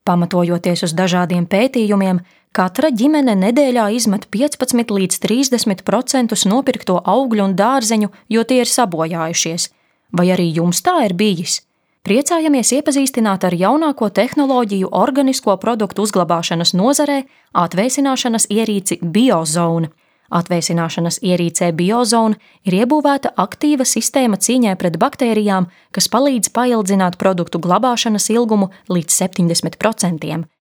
Pamatojoties uz dažādiem pētījumiem, katra ģimene nedēļā izmet 15 līdz 30% nopirkto augļu un dārzeņu, jo tie ir sabojājušies. Vai arī jums tā ir bijis? Priecājamies iepazīstināt ar jaunāko tehnoloģiju organisko produktu uzglabāšanas nozarē atvēsināšanas ierīci BioZone. Atvēsināšanas ierīcē BioZone ir iebūvēta aktīva sistēma cīņai pret baktērijām, kas palīdz paildzināt produktu glabāšanas ilgumu līdz 70%.